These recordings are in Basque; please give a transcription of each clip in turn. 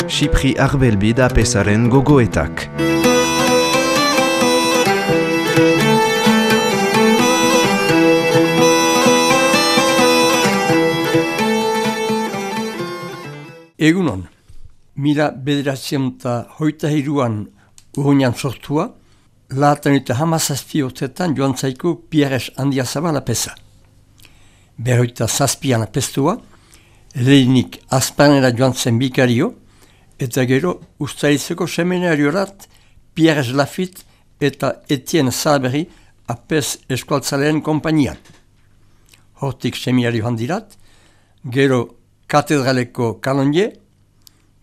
Xipri Arbelbi da pesaren gogoetak. Egunon, 1923an urruñan sortua, lahatan eta hamazazpi urtetan joan zaiku Pierres Handiazabal apesa. Berroita zazpian apestua, lehenik Azpanera joan zen bikario, eta gero Uztailizeko seminariorat Pierres Lafitte eta Etienne Saberi apes eskualtzaleen konpainian. Hortik seminario handirat, gero katedraleko kanonje,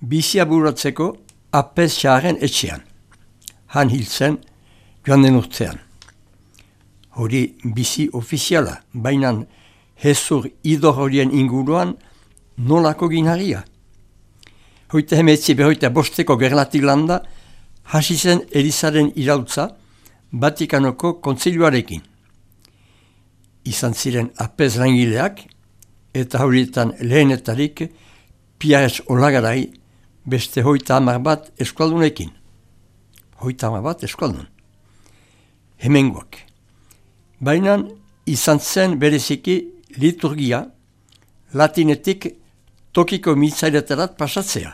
bizia buratzeko apes xaren etxean. Han hil zen joan den urtean. Hori bizi ofiziala, baina hezur idor horien inguruan nolako ginharia. Hoita hemetzi berroita bosteko gerlatik landa, hasi zen Elizaren irautza Vatikanoko kontzilioarekin. Izan ziren apes langileak, eta horietan lehenetarik Pierres Olagarai beste 30 bat eskualdunekin. 30 bat eskualdun. Hemengoak. Baina izan zen bereziki liturgia latinetik tokiko mitzailetarat pasatzea.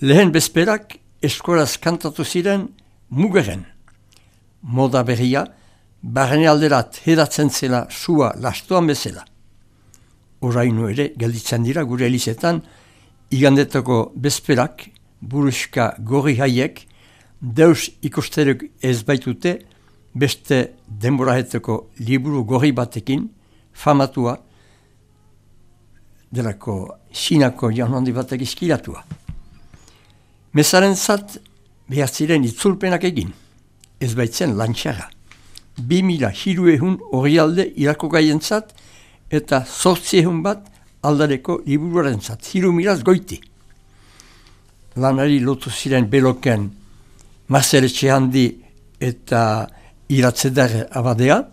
Lehen bezperak eskolaz kantatu ziren Mugeren. Moda berria barne alderat hedatzen zela sua lastoan bezala. Oraino ere gelditzen dira gure elizetan igandetako bezperak buruska gorri haiek deus ikusteruk ez baitute beste denboraheteko liburu gorri batekin famatua delako Sinako jaun handi batek izkilatua. Mesaren zat behar ziren itzulpenak egin, ez baitzen lantxara. 2000 orrialde irako gaientzat eta 800 bat aldareko liburuaren zat, 3000 goiti. Lanari lotu ziren beloken Marcel Etxehandi eta Iratzeder abadea,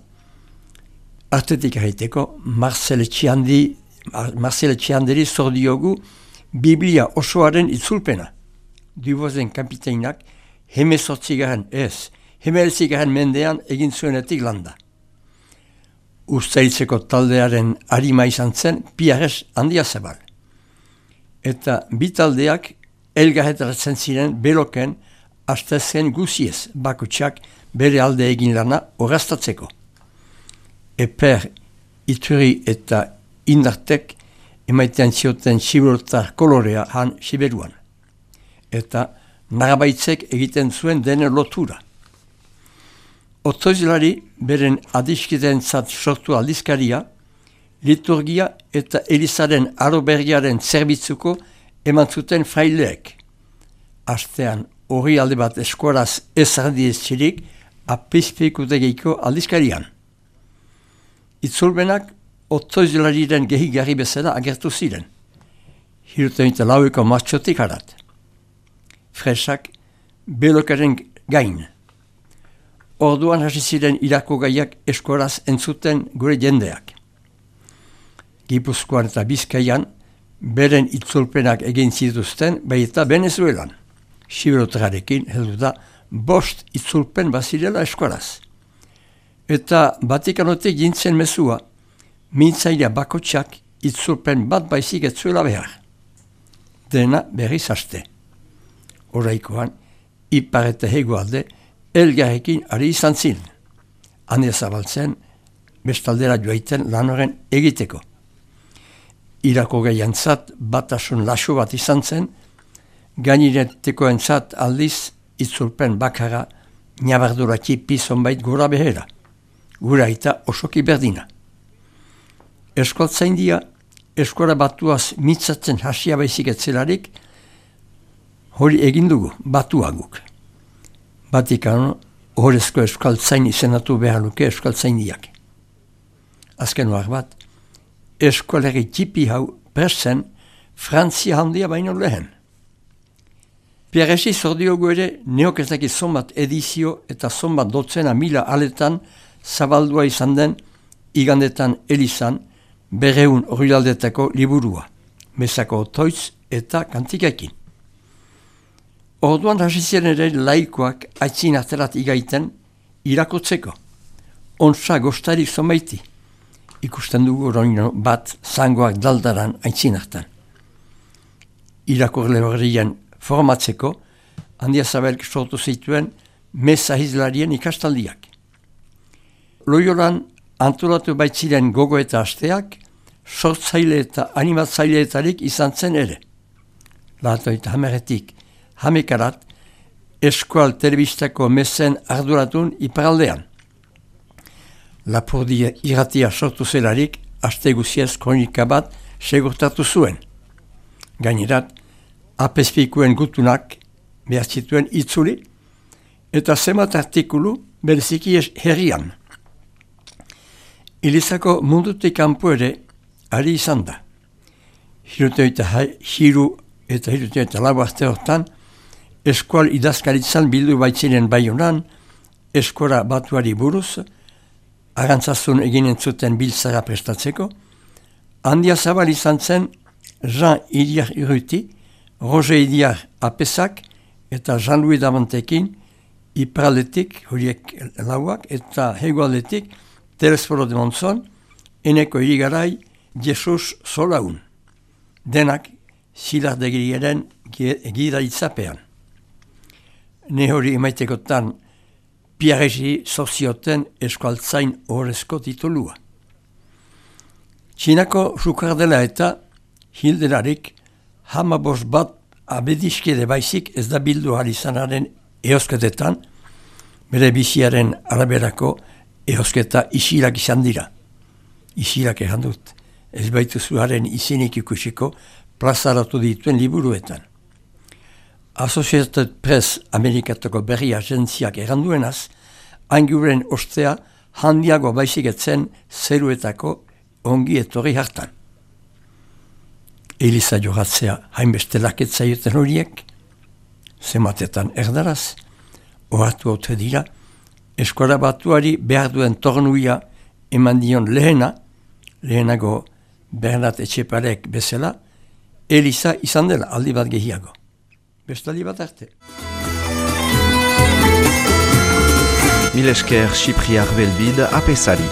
artetik erraiteko Marcel Etxehandiri zor diogu Biblia osoaren itzulpena. Duboisen kapiteinak hemezortzigaren mendean egin zuenetik landa. Uztailtzeko taldearen harima izan zen Pierres Handiazabal. Eta bi taldeak elgarretaratzen ziren beloken astezen guziez bakutsak bere alde egin lana orraztatzeko. Eper, Ituri eta Indartek emaitean zioten siberotar kolorea han Siberuan. Eta narabaitzek egiten zuen dene lotura. Otoizlari beren adiskitentzat sortu aldizkaria, liturgia eta Elizaren arobergiaren zerbitzuko eman zuten fraileek. Astean hori alde bat eskoraz ezardiez txirik apizpeikutegiko aldizkarian. Itzulbenak otoizlariren gehigarri bezala agertu ziren. 74 martxotik harat. Fresak belokaren gain. Orduan hasi ziren irako gaiak eskoraz entzuten gure jendeak. Gipuzkoan eta Bizkaian beren itzulpenak egin zituzten baita Venezuelan. Siberotrarekin heldu da 5 itzulpen bazirela eskoraz. Eta Vatikanotik jintzen mezua, mintzailea bakotsak itzulpen bat baizik ez zuela behar. Dena berriz haste. Oraikoan, ipar eta hegoalde, elgarrekin ari izan ziren. Hane zabaltzen, bestaldera joaiten lan horren egiteko. Irako gaiantzat batasun laso bat izan zen, gainiretekoentzat aldiz itzulpen bakarra nabarduraki pizonbait gora behera. Gura eta osoki berdina. Eskoltzaindia, eskola batuaz mitzatzen hasia baizik etzelarik, hori egin dugu, batuaguk. Vatikano horrezko eskaltzain izenatu behar luke eskaltzaindiak. Azken war bat, eskoleri txipi hau presen Frantzia handia baino lehen. Pierresi zordiogu ere neokezaki zonbat edizio eta zonbat dotzena mila aletan zabaldua izan den igandetan Elizan 200 orrialdetako liburua, mesako otoitz eta kantikakin. Orduan hasi ziren ere laikoak aitzin aterat igaiten irakotzeko. Ontsa gostarik zomaiti. Ikusten dugu roino bat zangoak daldaran aitzin hartan. Irakorle horrien formatzeko, Handia Zabelk sortu zituen meza hizlarien ikastaldiak. Loiolan antolatu baitziren gogo eta asteak, sortzaile eta animatzaileetarik izan zen ere. Latoita hameretik hamekarat, eskual telebistako mezen arduratun iparaldean. Lapurdi irratia sortu zelarik, aste guziez kronika bat segurtatu zuen. Gainerat, apezpikuen gutunak behar zituen itzuli, eta zemat artikulu bereziki herrian. Elizako mundutik kanpo ere ari izan da. Hiru eta lau arte hortan, eskual idazkaritzan bildu baitziren Baionan, eskora batuari buruz, arantzazun eginen zuten biltzara prestatzeko, Handia Zabal izan zen Jean Idiar Urruti, Roger Idiar Apesak eta Jean-Louis Damantekin iparaldetik, horiek lauak, eta hegoaldetik Telesforo de Monzon, eneko irigarai Jesus Solaun. Denak zilardegiriaren gidaitzapean. Ne hori emaitekotan Piaregi sozioten eskualtzain horrezko titulua. Txinako sukardela eta hildelarik 15 bat abediskede baizik ez da bildu izanaren eosketetan, bere biziaren araberako eosketa isilak izan dira. Isilak egan dut, ez baitu zuaren izenik ikusiko plazaratu dituen liburuetan. Associated Press Amerikatoko berri agentziak eranduenaz, ainguren ostea handiago baizik etzen zeruetako ongi etorri hartan. Eliza jogatzea hainbeste laketzaioten horiek, zematetan erdaraz, ohartu haute dira, eskola batuari behar duen tornuia eman dion lehenago Bernat Etxeparek bezala, Eliza izan dela aldi bat gehiago. Bestaldi bat arte. Mil esker Xipriar Belbid apesari.